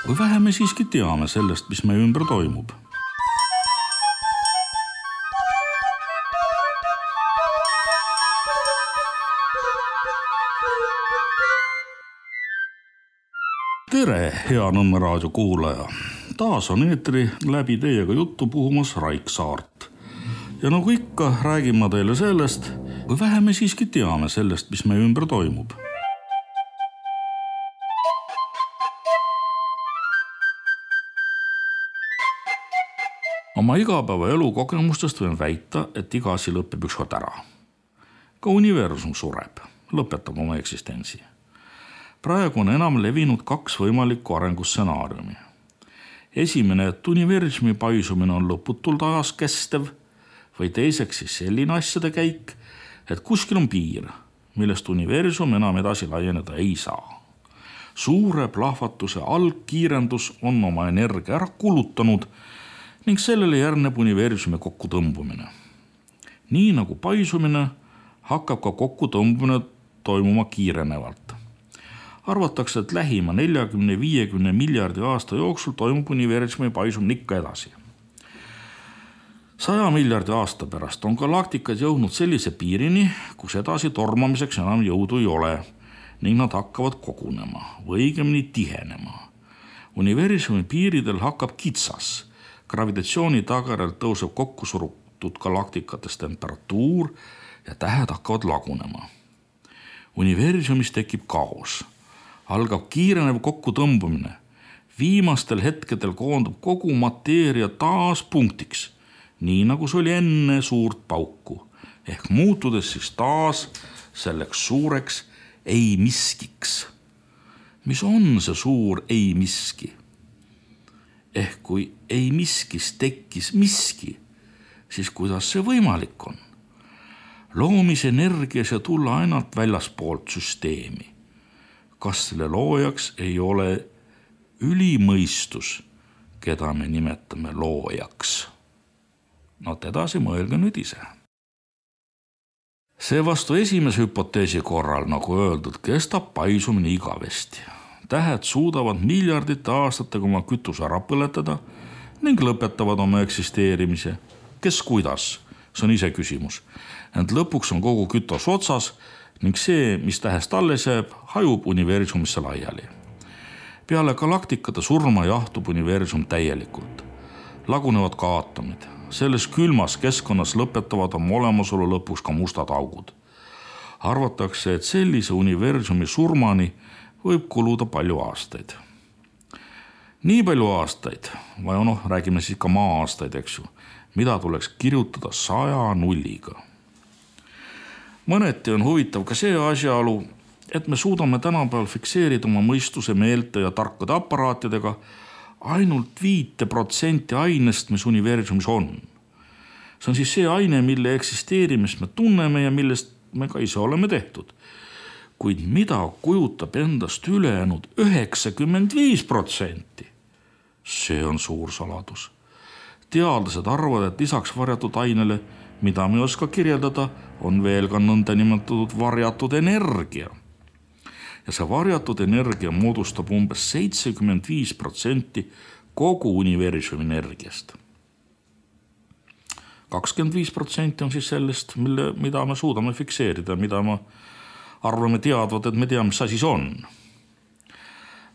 Või vähe me siiski teame sellest, mis meie ümber toimub. Tere, hea Nõmme raadio kuulaja! Taas on eetri läbi teiega juttu puhumas Raik Saart. Ja nagu ikka, räägin ma teile sellest, või vähe me siiski teame sellest, mis meie ümber toimub. Oma igapäeva elu kogemustest võin väita, et iga asi lõpeb ükskord ära. Ka universum sureb, lõpetab oma eksistentsi. Praegu on enam levinud 2 võimalikku arengustsenaariumi. Esimene, et universumi paisumine on lõputult ajas kestev, või teiseks siis selline asjade käik, et kuskil on piir, millest universum enam edasi laieneda ei saa. Suure plahvatuse algkiirendus on oma energia ära kulutanud ning sellele järgneb universumi kokkutõmbumine. Nii nagu paisumine hakkab ka kokkutõmbumine toimuma kiirenevalt. Arvatakse, et lähima 40-50 miljardi aasta jooksul toimub universumi paisumine ikka edasi. 100 miljardi aasta pärast on galaktikad jõudnud sellise piirini, kus edasi tormamiseks enam jõudu ei ole ning nad hakkavad kogunema või õigemini tihenema. Universumi piiridel hakkab kitsas. Gravitatsiooni tagajärjel tõuseb kokku surutud galaktikatest temperatuur ja tähed hakkavad lagunema. Universumis tekib kaos. Algab kiirenev kokkutõmbumine. Viimastel hetkedel koondub kogu mateeria taas punktiks, nii nagu see oli enne suurt pauku, ehk muutudes siis taas selleks suureks ei miskiks. Mis on see suur ei miski? Ehk kui ei miskis tekkis miski, siis kuidas see võimalik on? Loomisenergia see tulla ainult väljaspoolt süsteemi. Kas selle loojaks ei ole ülimõistus, keda me nimetame loojaks? Edasi mõelge nüüd ise. Seevastu esimese hüpoteesi korral, nagu öeldud, kestab paisumine igavesti. Tähed suudavad miljardite aastatega oma kütuse ära põletada ning lõpetavad oma eksisteerimise. Kes kuidas? See on ise küsimus. Ent lõpuks on kogu kütus otsas ning see, mis tähest alles jääb, hajub universumisse laiali. Peale galaktikate surma jahtub universum täielikult. Lagunevad ka aatomid. Selles külmas keskkonnas lõpetavad oma olemasolu lõpuks ka mustad augud. Arvatakse, et sellise universumi surmani võib kuluda palju aastaid. Nii palju aastaid, või räägime siis ka maa-aastaid, eks ju, mida tuleks kirjutada 100 nulliga. Mõneti on huvitav ka see asjaolu, et me suudame tänapäeval fikseerida oma mõistuse, meelte ja tarkade aparaatidega ainult 5% ainest, mis universumis on. See on siis see aine, mille eksisteerimist me tunneme ja millest me ka ise oleme tehtud. Kuid mida kujutab endast ülejäänud 95%? See on suur saladus. Teadlased arvavad, et lisaks varjatud ainele, mida me ei oska kirjeldada, on veel ka nõndanimetatud varjatud energia. Ja see varjatud energia moodustab umbes 75% kogu universumi energiast. 25% on siis sellest, mida me suudame fikseerida, mida me arvame teadvat, et me teame, mis asi see on.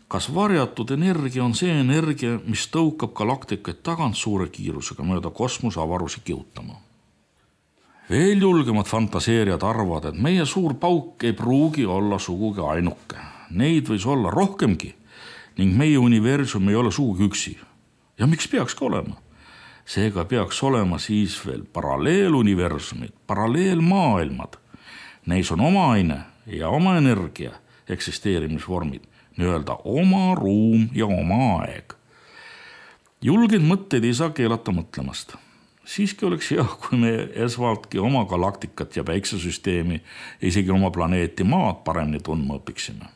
Kas varjatud energia on see energia, mis tõukab galaktikaid tagant suure kiirusega mööda kosmose avarusi kihutama? Veel julgemad fantaseerijad arvavad, et meie suur pauk ei pruugi olla sugugi ainuke. Neid võis olla rohkemgi ning meie universum ei ole sugugi üksi. Ja miks peakski olema? Seega peaks olema siis veel paralleeluniversumid, paralleelmaailmad. Neis on oma aine ja oma energia eksisteerimisvormid, nii-öelda oma ruum ja oma aeg. Julgeid mõtteid ei saa keelata mõtlemast. Siiski oleks hea, kui me esvaltki oma galaktikat ja päiksesüsteemi, isegi oma planeeti Maad paremini tundma õpiksime.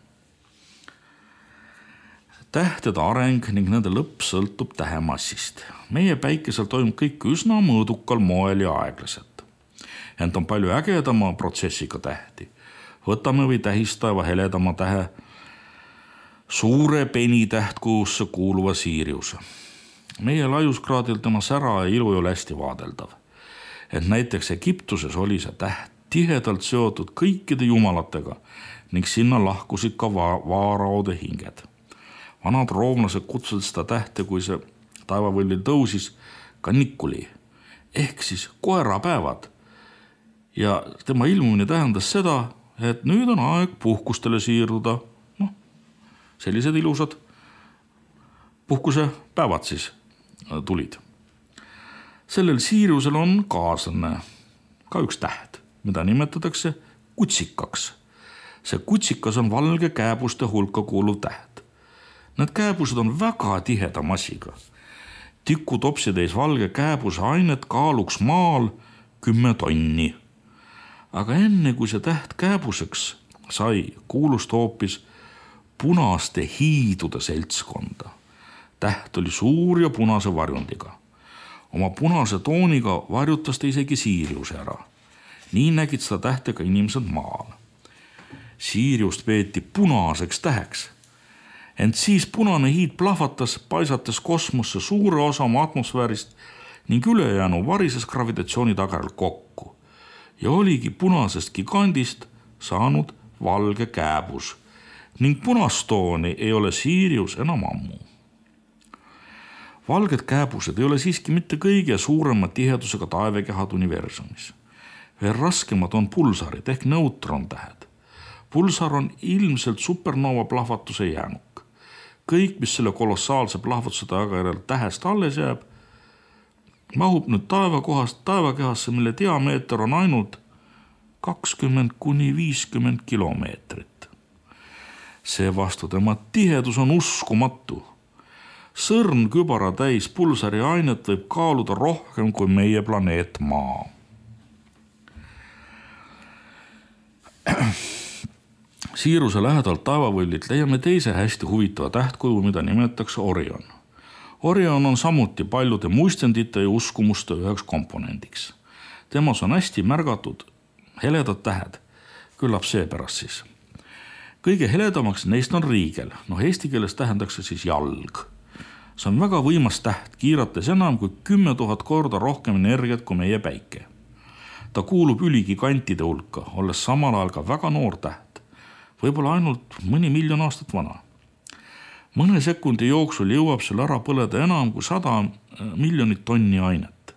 Tähtede areng ning nende lõpp sõltub tähemassist. Meie päikesel toimub kõik üsna mõõdukal moel ja aeglaselt. Ent on palju ägedama protsessiga tähti. Võtame või tähistaeva heledama tähe suure penitähtkujusse kuuluva Siriuse. Meie laiuskraadil tema sära ja ilu ei ole hästi vaadeldav. Et näiteks Egiptuses oli see täht tihedalt seotud kõikide jumalatega ning sinna lahkusid ka vaaraode hinged. Vanad roomlased kutsusid seda tähte, kui see taevavõllil tõusis, ka Nikuli ehk siis koerapäevad. Ja tema ilmumine tähendas seda, et nüüd on aeg puhkustele siirduda. Sellised ilusad puhkusepäevad siis tulid. Sellel Siriusel on kaaslane, ka üks täht, mida nimetatakse kutsikaks. See kutsikas on valge kääbuste hulka kuuluv täht. Need kääbused on väga tiheda massiga. Tikutopsitäis valge kääbuse ainet kaaluks maal 10 tonni. Aga enne kui see täht kääbuseks sai, kuulus ta hoopis punaste hiidude seltskonda. Täht oli suur ja punase varjundiga. Oma punase tooniga varjutas ta isegi Siriuse ära. Nii nägid seda tähte ka inimesed maal. Siriust peeti punaseks täheks. Ent siis punane hiid plahvatas, paisates kosmosse suure osa oma atmosfäärist ning ülejäänu varises gravitatsiooni tagajärjel kokku. Ja oligi punasest gigandist saanud valge kääbus ning punastooni ei ole Sirius enam ammu. Valged kääbused ei ole siiski mitte kõige suurema tihedusega taevekehad universumis. Veel raskemad on pulsarid ehk neutrontähed. Pulsar on ilmselt supernova plahvatuse jäänuk. Kõik, mis selle kolossaalse plahvatuse tagajärjel tähest alles jääb, mahub nüüd taevakehasse, mille diameeter on ainult 20–50 kilomeetrit. Seevastu tema tihedus on uskumatu. Sõrn kübara täis pulsari ainet võib kaaluda rohkem kui meie planeet Maa. Siriuse lähedalt taevavõllilt leiame teise hästi huvitava tähtkuju, mida nimetatakse Orion. Orion on samuti paljude muistendite ja uskumuste üheks komponendiks. Temas on hästi märgatud heledad tähed, küllap seepärast siis. Kõige heledamaks neist on Riigel, eesti keeles tähendakse siis jalg. See on väga võimas täht, kiirates enam kui 10 000 korda rohkem energiat kui meie päike. Ta kuulub üligigantide hulka, olles samal ajal ka väga noor täht. Võib-olla ainult mõni miljon aastat vana. Mõne sekundi jooksul jõuab seal ära põleda enam kui 100 miljonit tonni ainet.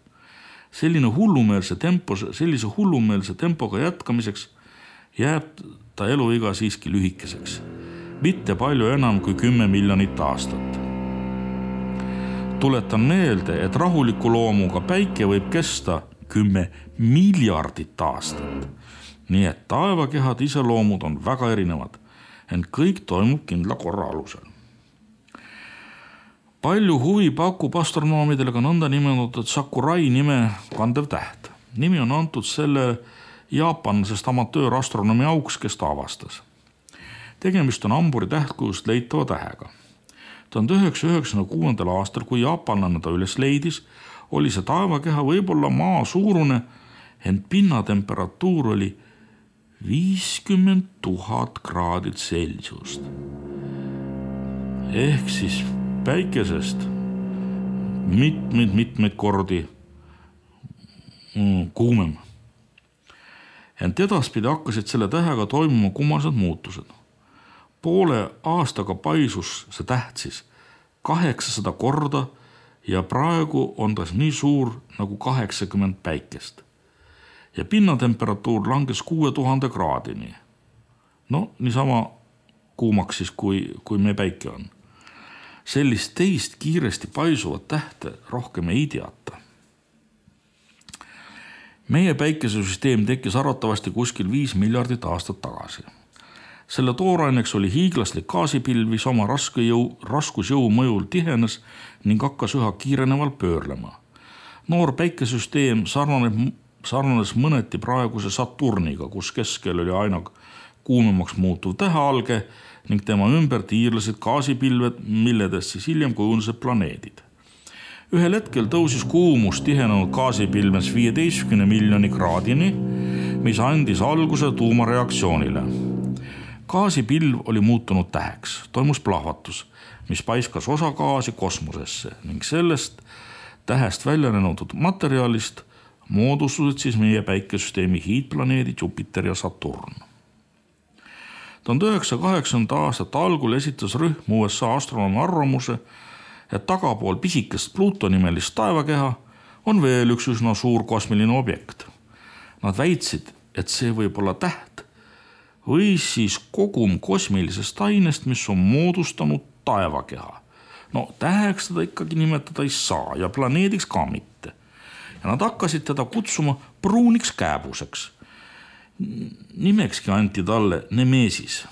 Sellise hullumeelse tempoga jätkamiseks jääb ta eluiga siiski lühikeseks. Mitte palju enam kui 10 miljonit aastat. Tuletan meelde, et rahuliku loomuga päike võib kesta 10 miljardit aastat. Nii et taevakehad iseloomud on väga erinevad, ent kõik toimub kindla korra alusel. Palju huvi pakub astronoomidele ka nõnda nimetatud Sakurai nime kandev täht. Nimi on antud selle jaapanlasest amatöörastronomi auks, kes ta avastas. Tegemist on Amburi tähtkujust leitava tähega. 1996. aastal, kui jaapanlane ta üles leidis, oli see taevakeha võib-olla maa suurune, ent pinnatemperatuur oli 50 000 kraadit Celsiust. Ehk siis päikesest mitmeid kordi kuumem. Ent edaspidi hakkasid selle tähega toimuma kummalised muutused. Poole aastaga paisus see täht siis 800 korda ja praegu on ta nii suur nagu 80 päikest. Ja pinnatemperatuur langes 6000 kraadini. Niisama kuumaks siis, kui meie päike on. Sellist teist kiiresti paisuvat tähte rohkem ei teata. Meie päikesesüsteem tekkis arvatavasti kuskil 5 miljardit aastat tagasi. Selle tooraineks oli hiiglaslik gaasipilv, mis oma raskusjõu mõjul tihenes ning hakkas üha kiireneval pöörlema. Noor päikesesüsteem sarnanes mõneti praeguse Saturniga, kus keskel oli aina kuumemaks muutuv tähealge ning tema ümber tiirlesid gaasipilved, milledest siis hiljem kujunesid planeedid. Ühel hetkel tõusis kuumus tihenenud gaasipilves 15 miljoni kraadini, mis andis alguse tuumareaktsioonile. Gaasipilv oli muutunud täheks, toimus plahvatus, mis paiskas osa gaasi kosmosesse ning sellest tähest välja lennutud materjalist moodustusid siis meie päikesüsteemi hiidplaneedid Jupiter ja Saturn. 1980. aastate algul esitas rühm USA astronoomi arvamuse, et tagapool pisikest Pluto nimelist taevakeha on veel üks üsna suur kosmiline objekt. Nad väitsid, et see võib olla täht või siis kogum kosmilisest ainest, mis on moodustanud taevakeha. No täheks teda ikkagi nimetada ei saa ja planeediks ka mitte. Ja nad hakkasid teda kutsuma pruuniks kääbuseks. Nimekski anti talle Nemesis.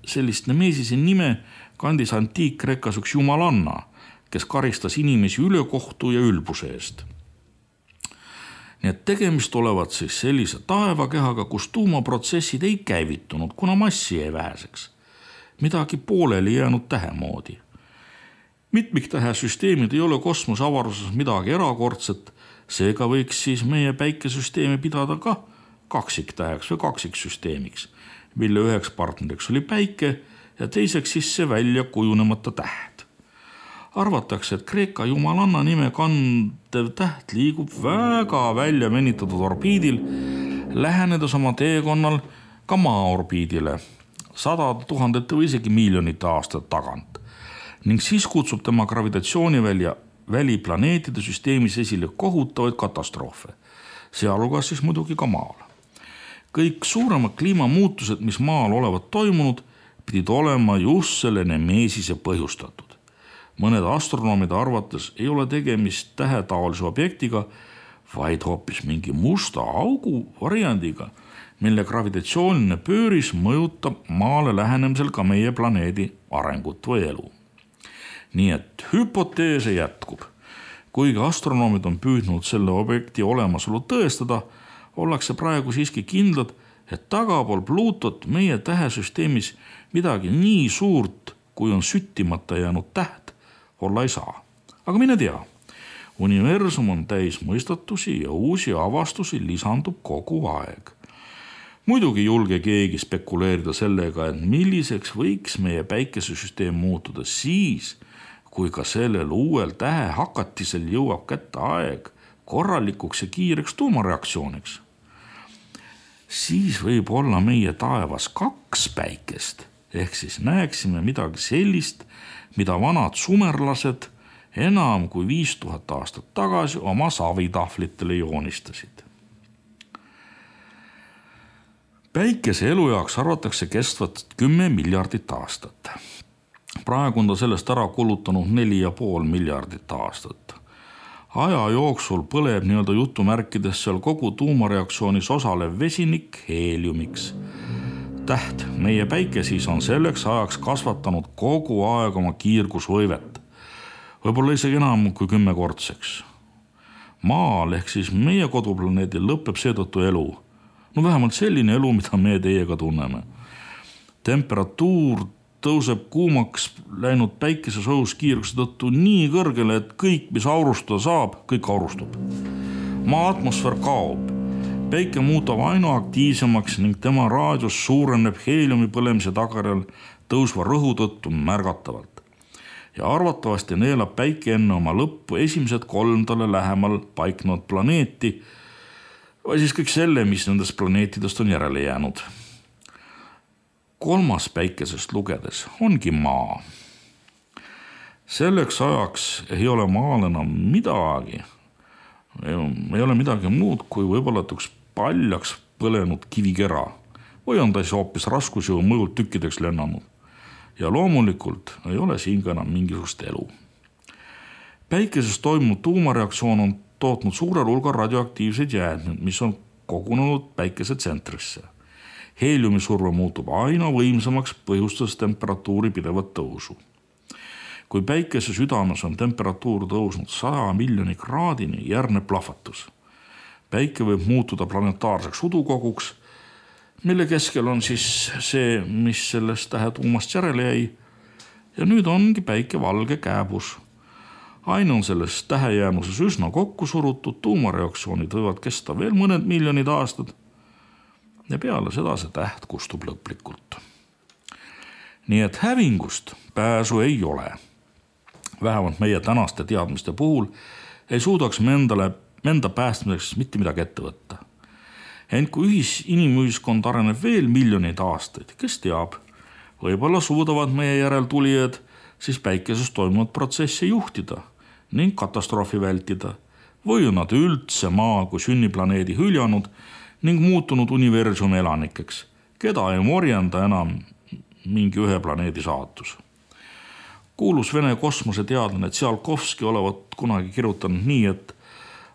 Sellist Nemesise nime kandis antiik-Kreekas üks jumalanna, kes karistas inimesi ülekohtu ja ülbuse eest. Nii et tegemist olevat siis sellise taevakehaga, kus tuumaprotsessid ei käivitunud, kuna massi jäi väheseks. Midagi pooleli jäänud tähe moodi. Mitmiktähe süsteemid ei ole kosmoseavaruses midagi erakordset, seega võiks siis meie päikesüsteemi pidada ka kaksiktäheks või kaksiksüsteemiks, mille üheks partneriks oli päike ja teiseks siis see välja kujunemata täht. Arvatakse, et Kreeka jumalanna nime kandev täht liigub väga välja venitatud orbiidil, lähenedes oma teekonnal ka maa orbiidile 100 000 või isegi miljonite aastate tagant ning siis kutsub tema gravitatsiooniväli planeetide süsteemis esile kohutavaid katastroofe, sealhulgas siis muidugi ka maal. Kõik suuremad kliimamuutused, mis maal olevat toimunud, pidid olema just selle Nemesise põhjustatud. Mõned astronoomide arvates ei ole tegemist tähetaolise objektiga, vaid hoopis mingi musta augu variandiga, mille gravitatsiooniline pööris mõjutab maale lähenemisel ka meie planeedi arengut või elu. Nii et hüpoteese jätkub. Kuigi astronoomid on püüdnud selle objekti olemasolu tõestada, ollakse praegu siiski kindlad, et tagapool Pluutot meie tähesüsteemis midagi nii suurt, kui on süttimata jäänud täht, olla ei saa. Aga mine tea, universum on täis mõistatusi ja uusi avastusi lisandub kogu aeg. Muidugi julge keegi spekuleerida sellega, et milliseks võiks meie päikesesüsteem muutuda siis, kui ka sellel uuel tähe hakatisel jõuab kätte aeg korralikuks ja kiireks tuumareaktsiooniks. Siis võib olla meie taevas 2 päikest, ehk siis näeksime midagi sellist, mida vanad sumerlased enam kui 5000 aastat tagasi oma savitahvlitele joonistasid. Päikese elujaoks arvatakse kestvat 10 miljardit aastat. Praegu on ta sellest ära kulutanud 4,5 miljardit aastat. Aja jooksul põleb nii-öelda jutumärkides seal kogu tuumareaktsioonis osalev vesinik heeliumiks. Täht, meie päike siis on selleks ajaks kasvatanud kogu aeg oma kiirgusvõivet. Võib-olla isegi enam kui 10-kordseks. Maal ehk siis meie koduplaneedil lõpeb seetõttu elu. No vähemalt selline elu, mida me teiega tunneme. Temperatuur tõuseb kuumaks läinud päikesesoojus kiirguse tõttu nii kõrgele, et kõik, mis aurustada saab, kõik aurustub. Maa atmosfäär kaob. Päike muutub aina aktiivsemaks ning tema raadius suureneb heeliumi põlemise tagajärjel tõusva rõhu tõttu märgatavalt. Ja arvatavasti neelab päike enne oma lõppu esimesed 3 talle lähemal paiknenud planeeti või siis kõik selle, mis nendest planeetidest on järele jäänud. 3. päikesest lugedes ongi maa. Selleks ajaks ei ole maal enam midagi. Ei ole midagi muud, kui võib-olla üks paljaks põlenud kivikera või on ta siis hoopis raskusjõu mõjult tükkideks lennanud. Ja loomulikult ei ole siin ka enam mingisugust elu. Päikeses toimunud tuumareaktsioon on tootnud suurel hulgal radioaktiivseid jäätmeid, mis on kogunenud päikese tsentrisse. Heeliumisurve muutub aina võimsamaks, põhjustades temperatuuri pidevat tõusu. Kui päikese südames on temperatuur tõusnud 100 miljoni kraadini, järgneb plahvatus. Päike võib muutuda planetaarseks udukoguks, mille keskel on siis see, mis sellest tähetuumast järele jäi. Ja nüüd ongi päike valge kääbus. Aine on selles tähejäämuses üsna kokku surutud, tuumareaktsioonid võivad kesta veel mõned miljonid aastad. ja peale seda see täht kustub lõplikult. Nii et hävingust pääsu ei ole. Vähemalt meie tänaste teadmiste puhul ei suudaks me enda päästmiseks mitte midagi ette võtta. Ent kui inimühiskond areneb veel miljoneid aastaid, kes teab, võib-olla suudavad meie järeltulijad siis päikeses toimuvat protsessi juhtida ning katastroofi vältida või on nad üldse maa kui sünniplaneedi hüljanud ning muutunud universumi elanikeks, keda ei morjenda enam mingi ühe planeedi saatus. Kuulus Vene kosmoseteadlane Tsiolkovski olevat kunagi kirjutanud nii, et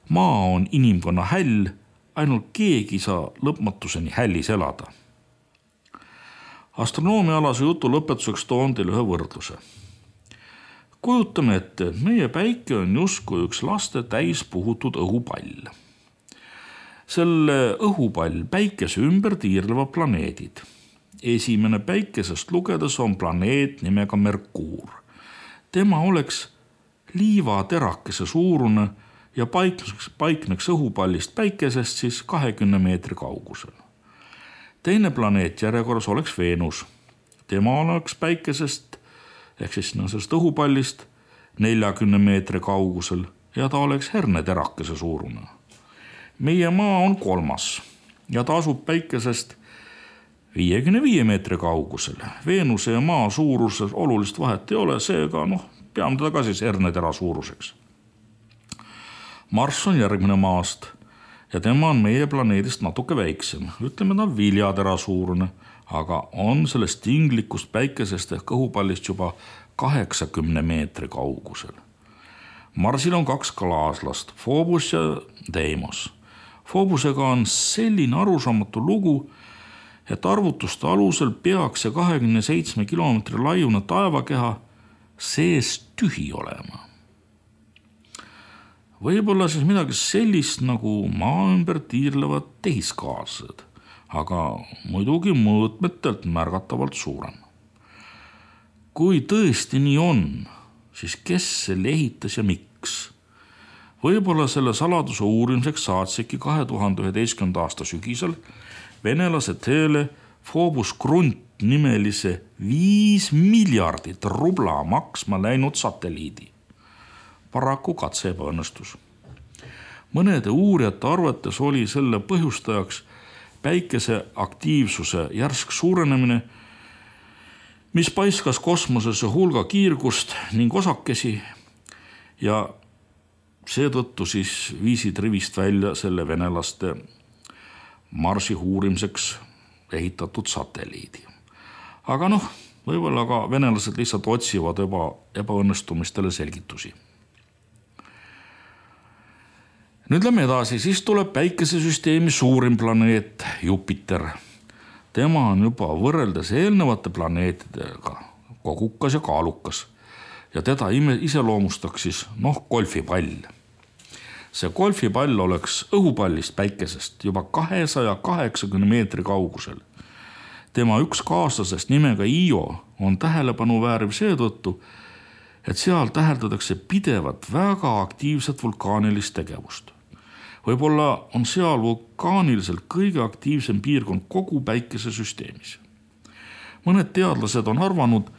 maa on inimkonna häll, ainult keegi saa lõpmatuseni hällis elada. Astronoomialase jutu lõpetuseks toon teile ühe võrdluse. Kujutame ette, et meie päike on justkui üks laste täis puhutud õhupall. Selle õhupall päikese ümber tiirlevad planeedid. Esimene päikesest lugedes on planeet nimega Merkuur. Tema oleks liivaterakese suurune ja paikneks õhupallist päikesest siis 20 meetri kaugusel. Teine planeet järjekorras oleks Veenus. Tema oleks päikesest ehk siis sellest õhupallist 40 meetri kaugusel ja ta oleks herneterakese suurune. Meie maa on kolmas ja ta asub päikesest 55 meetri kaugusel. Veenuse ja maa suuruses olulist vahet ei ole, seega peame teda ka siis hernetera suuruseks. Marss on järgmine maast ja tema on meie planeedist natuke väiksem. Ütleme ta viljatera suurune, aga on sellest tinglikust päikesest ehk õhupallist juba 80 meetri kaugusel. Marsil on 2 klaaslast, Phobos ja Deimos. Phobosega on selline arusaamatu lugu, et arvutuste alusel peaks see 27 kilomeetri laiune taevakeha sees tühi olema. Võib-olla siis midagi sellist nagu maa ümber tiirlevad tehiskaaslased, aga muidugi mõõtmetelt märgatavalt suurem. Kui tõesti nii on, siis kes selle ehitas ja miks? Võib-olla selle saladuse uurimiseks saatsidki 2011. aasta sügisel venelase teele Phobos Grunt nimelise 5 miljardit rubla maksma läinud satelliidi. Paraku katse ebaõnnestus. Mõnede uurijate arvates oli selle põhjustajaks päikese aktiivsuse järsk suurenemine, mis paiskas kosmosesse hulga kiirgust ning osakesi ja seetõttu siis viisid rivist välja selle venelaste Marsi uurimiseks ehitatud satelliidi. Aga võib-olla ka venelased lihtsalt otsivad ebaõnnestumistele selgitusi. Nüüd lähme edasi, siis tuleb päikesesüsteemi suurim planeet Jupiter. Tema on juba võrreldes eelnevate planeetidega kogukas ja kaalukas ja teda iseloomustaks siis golfipall. See golfipall oleks õhupallist päikesest juba 280 meetri kaugusel. Tema üks kaaslasest nimega Io on tähelepanu vääriv seetõttu, et seal täheldatakse pidevat väga aktiivset vulkaanilist tegevust. Võib-olla on seal vulkaaniliselt kõige aktiivsem piirkond kogu päikesesüsteemis. Mõned teadlased on arvanud,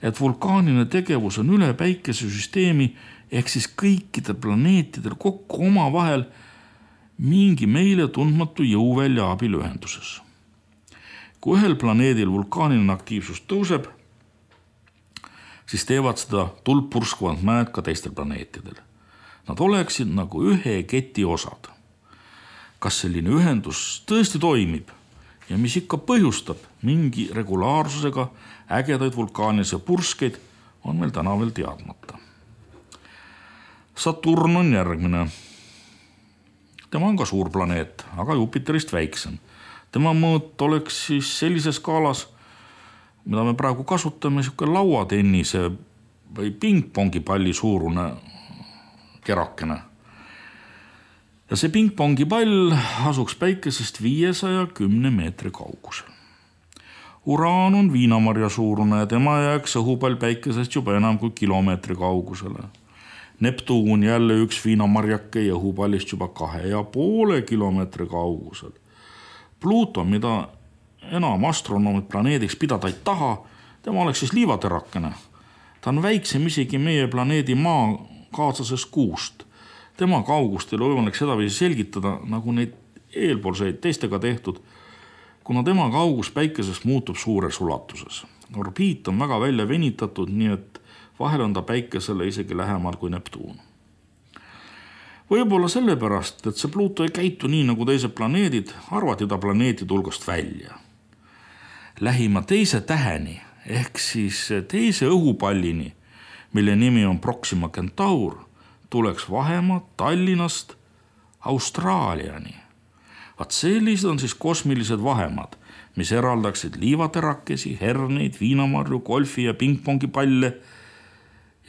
et vulkaaniline tegevus on üle päikesesüsteemi ehk siis kõikidel planeetidel kokku omavahel mingi meile tundmatu jõuvälja abil ühenduses. Kui ühel planeedil vulkaaniline aktiivsus tõuseb, siis teevad seda tuld purskavad mäed ka teistel planeetidel. Nad oleksid nagu ühe keti osad. Kas selline ühendus tõesti toimib ja mis ikka põhjustab mingi regulaarsusega ägedaid vulkaanilisi purskeid, on meil täna veel teadmata. Saturn on järgmine. Tema on ka suur planeet, aga Jupiterist väiksem. Tema mõõt oleks siis sellises skaalas, mida me praegu kasutame, lauatennise või pingpongipalli suurune kerakene. Ja see pingpongipall asuks päikesest 510 meetri kaugusel. Uraan on viinamarja suurune ja tema jääks õhupall päikesest juba enam kui kilomeetri kaugusele. Neptuun jälle üks viinamarjake ja õhupallist juba 2,5 kilomeetri kaugusel. Pluuto, mida enam astronoomid planeediks pidada ei taha, tema oleks siis liivaterakene. Ta on väiksem isegi meie planeedi maa kaaslasest Kuust. Tema kaugust ei ole võimalik sedaviisi selgitada, nagu neid eelpoolseid teistega tehtud, kuna tema kaugus päikesest muutub suures ulatuses. Orbiit on väga välja venitatud, nii et vahel on ta päikesele isegi lähemal kui Neptuun. Võib-olla sellepärast, et see Pluuto ei käitu nii nagu teised planeedid, arvati ta planeetide hulgast välja. Lähima teise täheni ehk siis teise õhupallini, mille nimi on Proxima Centaur, tuleks vahemaa Tallinnast Austraaliani. Vaat sellised on siis kosmilised vahemad, mis eraldaksid liivaterakesi, herneid, viinamarju, golfi ja pingpongi palle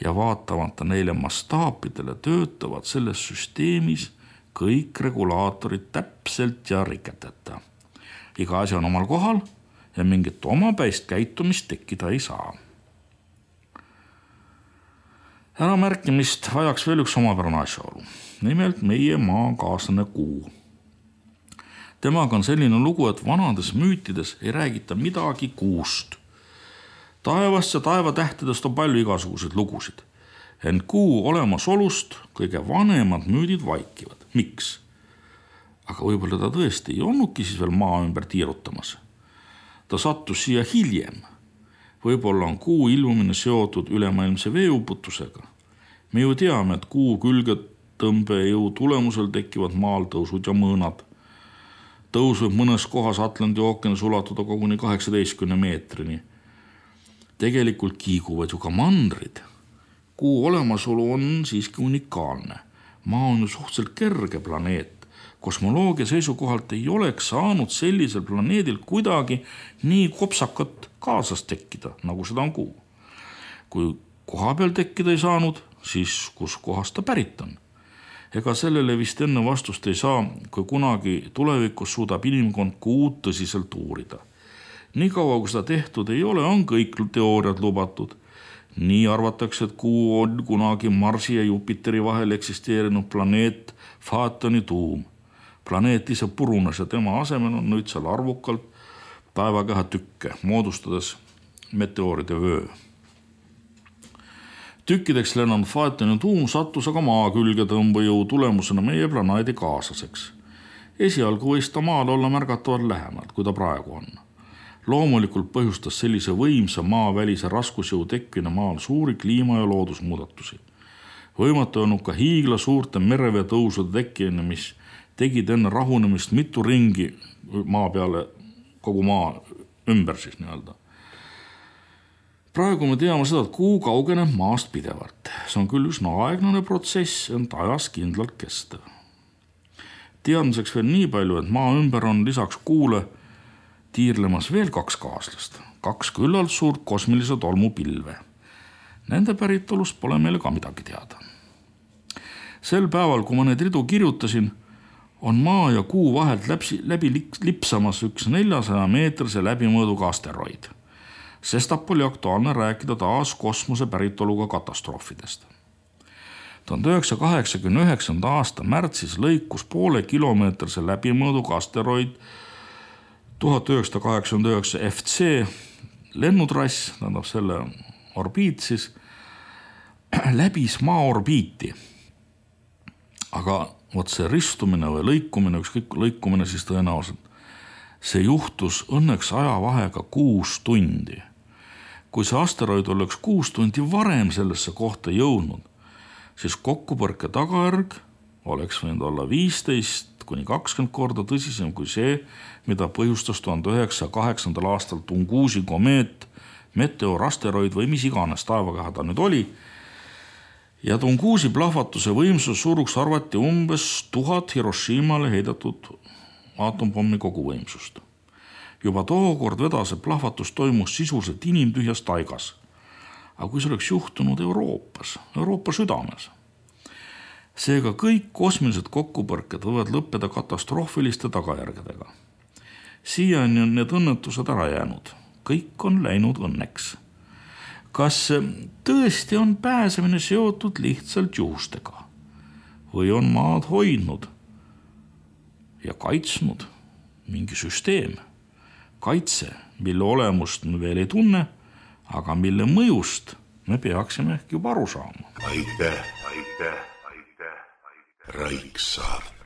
ja vaatamata neile mastaapidele töötavad selles süsteemis kõik regulaatorid täpselt ja riketeta. Iga asi on omal kohal ja mingit omapäist käitumist tekkida ei saa. Äramärkimist vajaks veel üks omapärane asjaolu, nimelt meie maakaaslane Kuu. Temaga on selline lugu, et vanades müütides ei räägita midagi Kuust. Taevast ja taevatähtedest on palju igasuguseid lugusid. Ent Kuu olemasolust kõige vanemad müüdid vaikivad. Miks? Aga võib-olla ta tõesti ei olnudki siis veel maa ümber tiirutamas. Ta sattus siia hiljem. Võib-olla on Kuu ilmumine seotud ülemaailmse veeuputusega. Me ju teame, et Kuu külgetõmbejõu tulemusel tekivad maal tõusud ja mõõnad. Tõus võib mõnes kohas Atlandi ookeanis ulatuda koguni 18 meetrini. Tegelikult kiiguvad ju ka mandrid. Kuu olemasolu on siiski unikaalne. Maa on ju suhteliselt kerge planeet. Kosmoloogia seisukohalt ei oleks saanud sellisel planeedil kuidagi nii kopsakat kaasas tekkida, nagu seda on Kuu. Kui koha peal tekkida ei saanud, siis kus kohast ta pärit on. Ega sellele vist enne vastust ei saa, kui kunagi tulevikus suudab inimkond Kuud tõsiselt uurida. Nii kaua, kui seda tehtud ei ole, on kõik teooriad lubatud. Nii arvatakse, et Kuu on kunagi Marsi ja Jupiteri vahel eksisteerinud planeet Phaetoni tuum. Planeet ise purunes ja tema asemel on nüüd seal arvukalt taevakeha tükke, moodustades meteooride vöö. Tükkideks lennanud Phaetoni tuum sattus aga maa külgetõmbejõu tulemusena meie planeedi kaaslaseks. Esialgu võis ta maal olla märgatavalt lähemalt, kui ta praegu on. Loomulikult põhjustas sellise võimsa maavälise raskusjõu tekkine maal suuri kliima- ja loodusmuudatusi. Võimatu on ka hiigla suurte mereveetõusude tekkimine, mis tegid enne rahunemist mitu ringi maa peale, kogu maa ümber siis nii-öelda. Praegu me teame seda, et Kuu kaugeneb maast pidevalt. See on küll üsna aeglane protsess, ent ajas kindlalt kestev. Teadmiseks veel nii palju, et maa ümber on lisaks Kuule tiirlemas veel 2 kaaslast, 2 küllalt suurt kosmilise tolmu pilve. Nende päritolust pole meile ka midagi teada. Sel päeval, kui ma need ridu kirjutasin, on maa ja Kuu vahelt läbi lipsamas üks 400-meetrise läbimõõduga asteroid. Sestap oli aktuaalne rääkida taas kosmose päritoluga katastroofidest. 1989. aasta märtsis lõikus poole kilomeetrise läbimõõduga asteroid 1989 FC lennutrass, tähendab selle orbiit siis, läbis maa orbiiti. Aga vot see ristumine või lõikumine, ükskõik lõikumine siis tõenäoliselt, see juhtus õnneks ajavahega 6 tundi. Kui see asteroid oleks 6 tundi varem sellesse kohta jõudnud, siis kokkupõrke tagajärg oleks võinud olla 15–20 korda tõsisem kui see, mida põhjustas 1908. aastal Tungusi komeet, meteorasteroid või mis iganes taevakeha ta nüüd oli. Ja Tungusi plahvatuse võimsus suuruks arvati umbes 1000 Hiroshimale heidetud aatompommi koguvõimsust. Juba tookord vedase plahvatus toimus sisuliselt inimtühjas taigas. Aga kui see oleks juhtunud Euroopa südames, seega kõik kosmilised kokkupõrked võivad lõppeda katastroofiliste tagajärgedega. Siiani on need õnnetused ära jäänud. Kõik on läinud õnneks. Kas tõesti on pääsemine seotud lihtsalt juhustega? Või on maad hoidnud ja kaitsnud mingi süsteem, kaitse, mille olemust me veel ei tunne, aga mille mõjust me peaksime juba aru saama. Aitäh, Raiksaart.